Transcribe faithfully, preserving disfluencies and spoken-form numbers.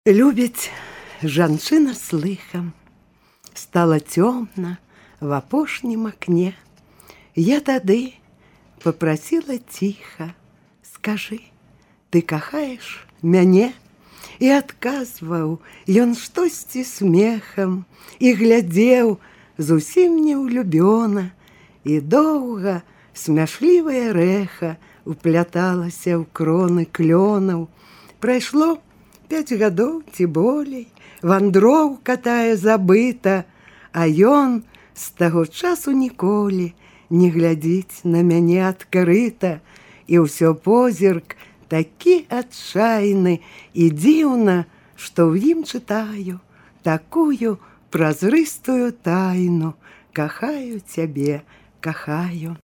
Любіць жанчына з лыхам. Стала цёмна в апошнім акне. Я тады попрасіла ціха: скажы, ты кахаеш мяне? І адказваў ён штосьці смехам, і глядзеў зусім неўлюбёна, і доўга смяшлівае рэха упляталася ў кроны клёнаў. Прайшло пяць гадоў ці болей, вандроўка тая забыта, а ён з таго часу ніколі не глядзіць на мяне адкрыта, і ўсё позірк такі адчайны, і дзіўна, што ў ім чытаю такую празрыстую тайну: кахаю цябе, кахаю.